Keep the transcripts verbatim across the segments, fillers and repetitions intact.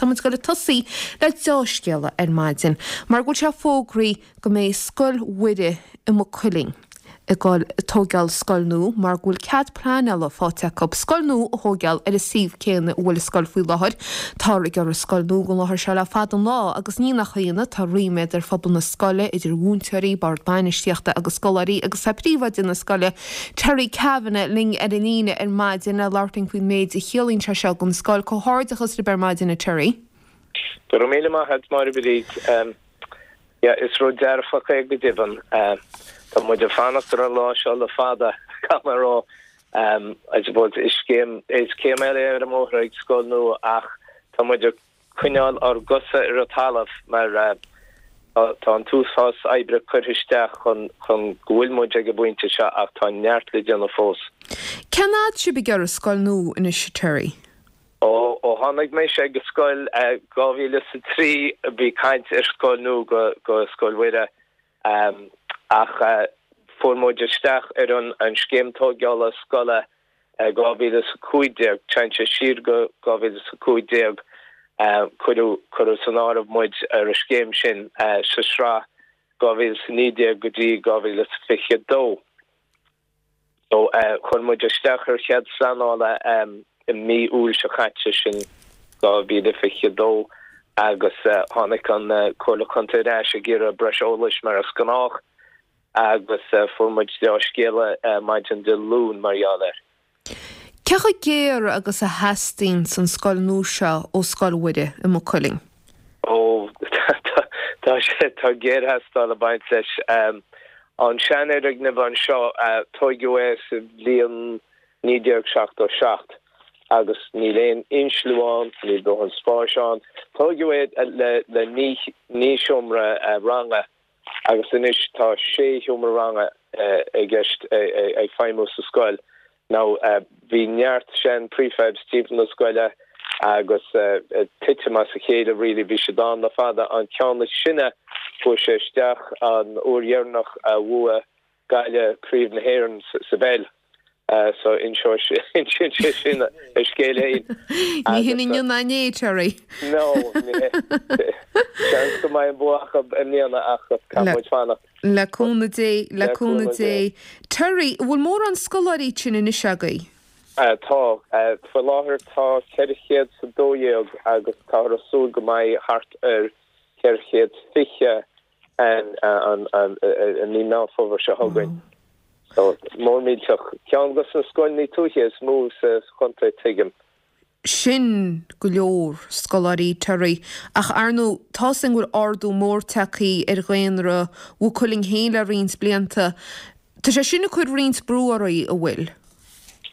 tá muid ag goil ag tosaí le dea-scéala ar maidin, mar go bhfuil sé fógraithe go mbeidh Scoil Mhuire i Maigh Cuilinn ag goil ag tógáil scoil nua mar go bhfuil cead pleanála faighte acu scoil nua a thógáil ar an suíomh céanna a bhfuil an scoil faoi láthair. Táthar ag iarraidh scoil nua don láthair seo le fada an lá agus ní nach ionadh tá ríméad ar phobal na scoile idir mhúinteoirí, bord bainistíochta agus scoláirí agus tá príomhoide na scoile Terry Kavanagh linn ar an líne ar maidin le labhairt linn faoin méid a chiallaíonn sé seo don scoil. Comhghairdeachas libh ar maidin a Terry. Go raibh míle maith agat Máire Bríd. Yeah, is rud dearfach é go deimhin. Tá muid ag fanacht ar an lá seo le fada caithfidh mé a rá. Um, I suppose is céim is céim eile ar an mbóthar ag scoil nua ach tá muid ag coinneáil ár gcosa ar an talamh mar uh, tá an t-uafás oibre curtha isteach chun chun go bhfuil muid ag an bpointe seo ach tá neart le déanamh fós. Cén fhad sibh ag iarraidh scoil nua anois Terry? Ó ó tháinig mé sé go scoil dhá mhíle sa trí bhí caint ar scoil nua go go Scoil Mhuire um, ach uh, fuair muid isteach ar an an scéim tógála scoile dhá mhíle sa cúig déag téann sé siar go dhá mhíle sa cúig déag cuireadh cuireadh san áireamh muid ar an scéim sin uh, sa sraith dhá mhíle sa naoi déag go dtí dhá mhíle sa fiche dó. So uh, chuir muid isteach ar chead pleanála um, i mí Iúil seo caite sin dhá mhíle fiche dó agus uh, tháinig an uh, Comhairle Contae ar ais ag iarraidh breis eolais mar is gnách agus uh, fuair muid dea-scéala uh, maidin Dé Luain mar gheall air. Cé chomh géar agus a theastaíonn an scoil nua seo ó Scoil Mhuire i Maigh Cuilinn? Ó tá sé tá géartheastáil ag baint leis um, an seanfhoirgneamh anseo uh, tógadh é sa bhliain naoi déag seachtó seacht agus níl aon insliú ann, níl dóthain spáis ann. Tógadh é le le naoi seomra uh, ranga agus anois tá sé sheomra ranga uh, ag gceist ag feidhmiú sa scoil. Now uh, bhí neart sean prefabs timpeall na scoile agus uh, titim as a chéile really bhí sé ann le fada an ceann is sine fuair sé isteach an uair dheireanach a bhuaigh Gaillimh Craobh na hÉireann sa bpeil. Uh, so inseoidh sé sin a scéal féin. Ní hin inniu ná inné Terry. No Seans go mbeidh an bua acu i mbliana ach caithfidh muid fanacht. Le cúnamh Dé le cúnamh Dé. Terry, bhfuil mórán scoláirí sin anois agaibh? Uh, tá uh, faoi láthair tá ceithre chéad sa dó dhéag agus tá súil go mbeidh thart ar ceithre chéad fiche an an an an ní ná fómhar seo chugainn. So mór millteach ceann de na scoileanna tuaithe is mó sa chontae tuigim. Sin go leor scoláirí Terry ach ar ndóigh tá sin bhfuil ardú mór tagtha ar dhaonra Mhaigh Cuilinn féin le roinnt blianta. Tá sé sin ag cur roinnt brú oraibh an bhfuil.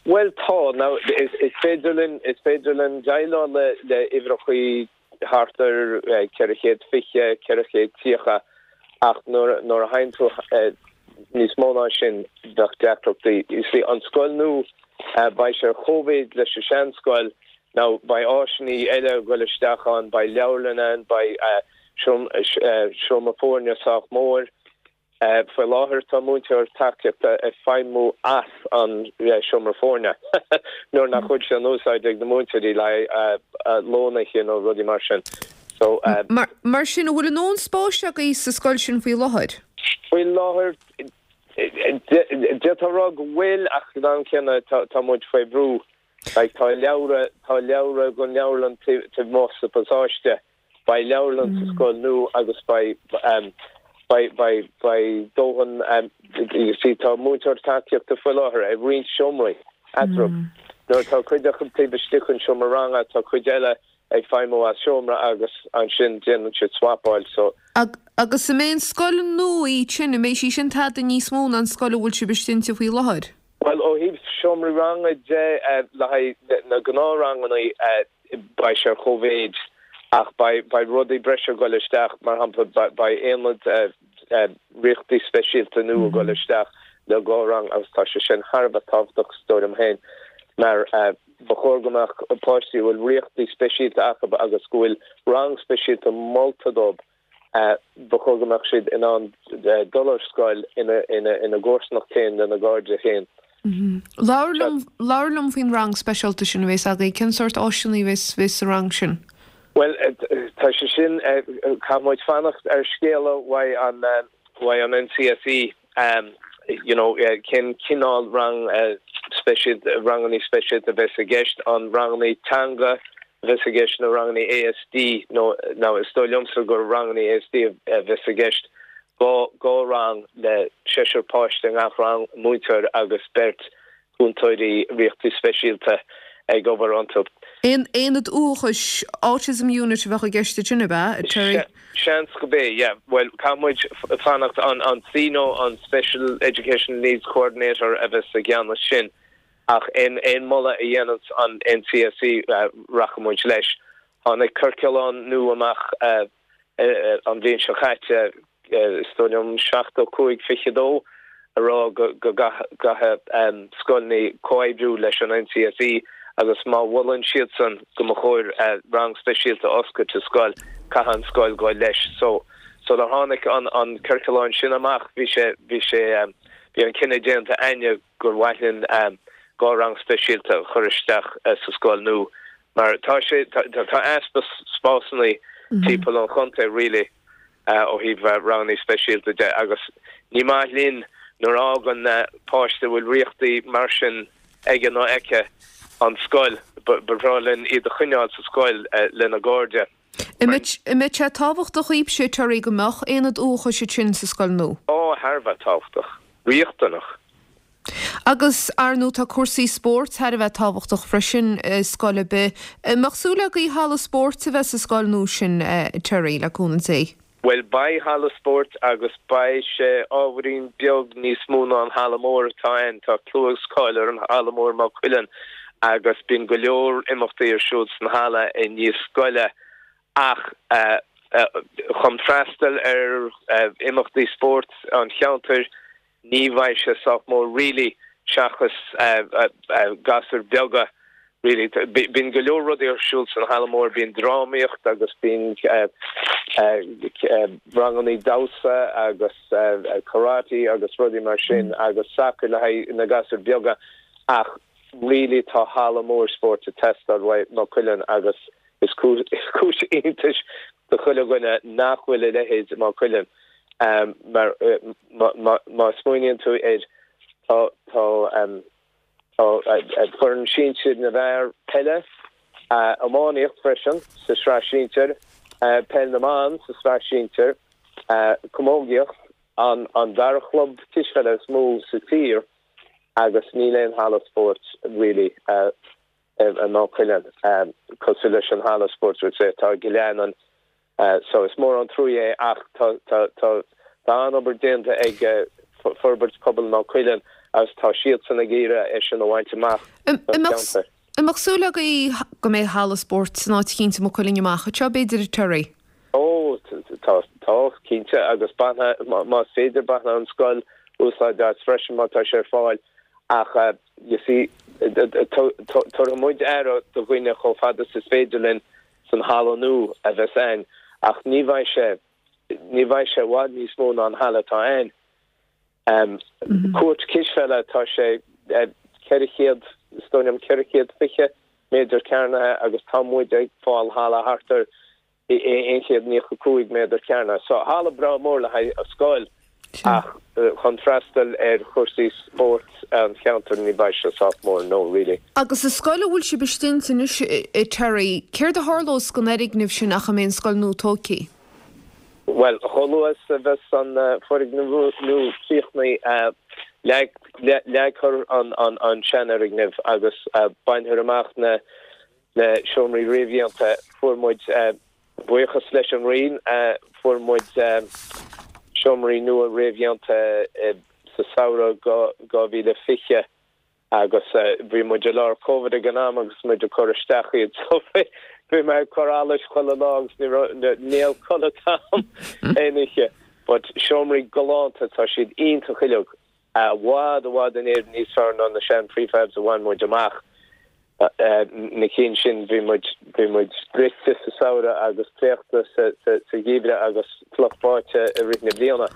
Well tá now is, is féidir linn is féidir linn déileáil le le uimhreacha thart ar ceithre chéad fiche ceithre chéad tríocha ach nuair nuair a théann tú níos mó ná sin bheadh deacrachtaí. You see an scoil nua uh, beidh sé cóimhéid leis an seanscoil now beidh áiseanna eile ag dul isteach ann beidh leabharlann ann beidh uh, seomra foirne sách mór. Uh, faoi láthair tá múinteoir tacaíochta ag feidhmiú as an seomra foirne. Nuair nach bhfuil sé in úsáid ag na múinteoirí le uh, uh, lónaithe nó rudaí mar sin. So, uh, mar, mar sin bhfuil a ndóthain spáis agaibh sa scoil sin faoi láthair? Faoi láthair d'fhéadfá rá go bhfuil ach an céanna tá muid faoi bhrú like, tá leabhra tá leabhra gon leabharlann taobh amuigh sa pasáiste beidh leabharlann sa scoil nua agus beidh um, beidh beidh beidh dóthain um, see tá múinteoir tacaíochta faoi láthair ag roinnt seomraí eatarthu. Mm. Nuair tá cuid acu taobh istigh den seomra ranga tá cuid eile ag feidhmiú as seomra agus ansin déanann siad swapáil so Ag, agus an mbeidh an scoil nua sin an mbeidh sí sin tada níos mó ná an scoil a bhfuil sibh istigh inti faoi láthair? Well ó thaobh seomraí ranga de uh, le haghaidh na gnáthranganna uh, beidh sé cóimhéid ach beidh rudaí breise ag dul isteach mar shampla beidh aonad uh, uh, riochtaí speisialta nua ag dul isteach le dhá rang agus tá sé sin thar a bheith tábhachtach is dóigh liom féin mar uh, ba chóir go mbeadh páistí bhfuil riochtaí speisialta acu agus go bhfuil rang speisialta molta dóibh uh, ba chóir go mbeadh siad in ann uh, dul ar scoil ina ina ina gcomharsanacht féin lena gcairde féin. Labhair liom faoin rang speisialta sin a bheas agaibh cén sórt áiseanna a bheas sa rang sin. Well, tá sé sin caithfidh muid fanacht ar scéala uaidh an uaidh an N C S E, um, you know, cén cineál rang uh, speisialta, ranganna speisialta a bheas i gceist, an ranganna teanga a bheas i gceist nó ranganna A S D nó nó is dóigh liomsa gur ranganna A S D a bheas i gceist, dhá dhá rang le seisear páiste gach rang, múinteoir agus beirt cúntóirí riochtaí speisialta ag obair iontu. Aon aonad uathachais, autism unit, a bheadh i gceist sin, ab ea, Terry? Seans go bé, yeah. Well, caithfidh muid fanacht an an S E N O, an Special Education Needs Coordinator, a bheas i gceannas sin, ach aon aon moladh a dhéanann an N C S E uh, rachaidh muid leis. Tháinig ciorclán nua amach uh, uh, an bhliain seo caite, is dóigh liom seachtó cúig fiche dó, a rá go go gcaithfidh um, scoileanna comhoibriú leis an N C S E agus má mholann siadsan go mba chóir uh, rang speisialta oscailt sa scoil, caithfidh an scoil goil leis. So so le tháinig an an ciorclán sin amach, bhí sé bhí sé um, bhí an cinneadh déanta againne gur mhaith linn um, dhá rang speisialta chur isteach uh, sa scoil nua, mar tá sé tá, tá easpa spásanna mm -hmm. timpeall an chontae really uh, ó thaobh uh, ranganna speisialta de, agus ní maith linn nuair a fhágann uh, páiste bhfuil riochtaí mar sin aige nó aici an scoil. Ba bhreá linn iad a choinneáil sa scoil uh, lena gcairde. An mbeadh sé tábhachtach daoibhse, Terry, go mbeadh aonad uathachais sin sa scoil nua? Ó, thar a bheith tábhachtach, riachtanach. Agus ar ndóigh tá cúrsaí spóirt thar a bheith tábhachtach freisin scoil ar bith. Mbeadh súil agaibh halla spóirt a bheith sa scoil nua sin, Terry, le cúnamh Dé? Well, beidh halla spóirt agus beidh sé ábhairín beag níos mó ná an halla mór atá ann. Tá clú agus cáil ar an halla mór Maigh Cuilinn agus bíonn go leor imeachtaí ar siúl san halla i ndiaidh scoile, ach uh, uh, chun freastal ar uh, imeachtaí spóirt an cheantair ní bheidh sé sách mór really, seachas uh, uh, uh, gasúir beaga really. Bíonn go leor rudaí ar siúl san halla mór, bíonn drámaíocht agus bíonn uh, uh, uh, ranganna damhsa agus uh, karate agus rudaí mar sin mm. agus sacar le haghaidh na gasúir beaga, ach really tá halla mór spóirt ag teastáil uaidh Maigh Cuilinn agus is cúis iontais do chuile dhuine nach bhfuil a leithéid Maigh Cuilinn, um, mar uh, má smaoiníonn tú air, tá tá um, foireann sinsir na bhfear peile, iománaíocht freisin sa sraith sinsir, peil na mban sa sraith sinsir, camógaíocht, an an dara club cispheile is mó sa tír, agus níl aon halla spóirt really i Maigh Cuilinn cosúil leis an halla spóirt atá i Gleann. So is mór an trua é, ach tá tá tá an obair déanta ag Forbairt Pobail Maigh Cuilinn agus tá siadsan ag iarraidh é sin a bhaint amach. An mbeadh súil agaibh go mbeidh halla spóirt san áit eicínt i Maigh Cuilinn amach anseo, b'fhéidir, Terry? Ó, tá tá cinnte, agus bainfidh, más féidir, bainfidh an scoil úsáid as freisin má tá sé ar fáil, ach uh, you see, tabharfaidh muid aire do dhaoine chomh fada is féidir linn san halla nua a bheas ann, ach ní bheidh sé ní bheidh sé i bhfad níos mó ná an halla atá ann. Um, mm -hmm. Cúirt cispheile, tá sé ceithre chéad, is dóigh liom ceithre chéad fiche méadar cearnaithe, agus tá muid ag fáil halla thart ar aon chéad nócha cúig méadar cearnaithe. So halla breá mór le haghaidh a scoil, ach chun freastal ar chúrsaí spóirt an cheantair ní bheidh sé sách mór, no really. Agus sa scoil a bhfuil sibh istigh anois, Terry, céard a tharlós don fhoirgneamh sin ach a mbeidh an scoil nua tógtha? Well, chomh luath is a bheas an foirgneamh nua críochnaithe, leagfar an an an seanfhoirgneamh agus bainfear amach na na seomraí réamhdhéanta. Fuair muid, buíochas leis an Roinn, fuair muid seomraí nua réamhdhéanta sa samhradh dhá mhíle fiche, agus bhí muid i lár Covid ag an am agus muid ag cur isteach iad, so bhí mé ag cur allais chuile lá agus níl codladh agam aon oíche. But seomraí galánta, tá siad iontach uilig, i bhfad i bhfad in Éirinn níos fearr ná na sean prefabs a bhain muid amach. Na cinn sin, bhí muid bhí muid bruite sa samhradh agus préachta sa sa gheimhreadh agus fliuch báite i rith na bliana.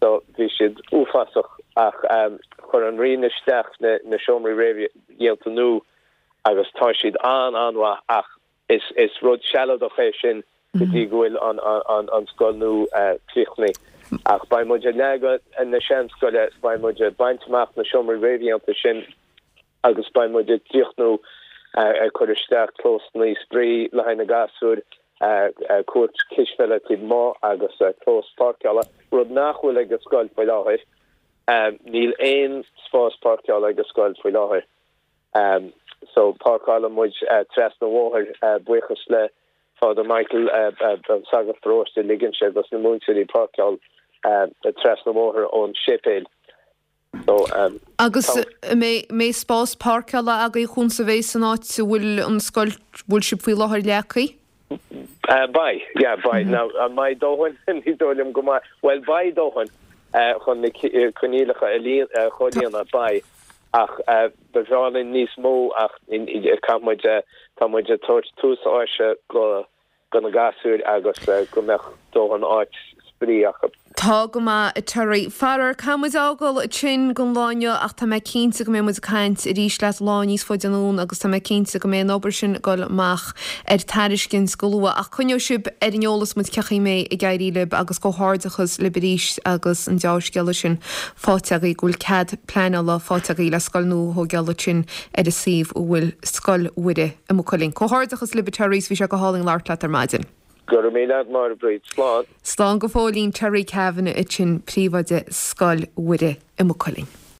So bhí siad uafásach, ach um, chuir an Roinn isteach na, na seomraí réamhdhéanta nua agus tá siad an an-mhaith, ach is is rud sealadach é sin go dtí go bhfuil an an an scoil nua críochnaithe. Ach beidh muid ag leagadh na seanscoile, beidh muid ag baint amach na seomraí réamhdhéanta sin agus beidh muid ag críochnú ag cur isteach clósanna spraoi le haghaidh na gasúir, cúirt cispheile taobh amuigh agus clós páirceála, rud nach bhfuil ag an scoil faoi láthair. Níl aon spás páirceála ag an scoil faoi láthair. So páirceálann muid trasna an bhóthair, buíochas le Father Michael, an sagart paróiste, ligeann sé dos na múinteoirí páirceáil trasna an bhóthair ón séipéal. So Agus an mbeidh spás páirceála agaibh chúns a bheidh san áit a bhfuil an scoil, bhfuil sibh faoi láthair leagtha? Beidh, yeah, beidh. Now, an mbeidh dóthain? Ní dóigh liom go mbeidh. Bhuel, beidh dóthain chun na coinníollacha a chomhlíonadh, beidh. Ach ba bhreá linn níos mó ach caithfidh muid, tá muid ag tabhairt tús áite go do na gasúir agus go mbeadh dóthain áit spraoi acu. Tá go maith, a Terry. Faraor, caithfidh muid fhágáil ansin don lá inniu ach tá mé cinnte go mbeidh muid ag caint arís leat lá níos faide anonn agus tá mé cinnte go mbeidh an obair sin ag dul amach ar tairiscint go luath. Ach coinneoidh sibh ar an eolas muid cén chaoi a mbeidh ag éirí libh agus comhghairdeachas libh arís agus an deá-scéala sin faighte agaibh go bhfuil cead pleanála faighte agaibh le scoil nua a thógáil ansin ar an suíomh a bhfuil Scoil Mhuire i Maigh Cuilinn. Comhghairdeachas libh a Terry is bhí sé go hálainn labhairt leat ar maidin. Go raibh míle agat Máire Bríd. Slán. Slán go fóillín Terry Kavanagh ansin, príomhoide Scoil Mhuire i Maigh Cuilinn.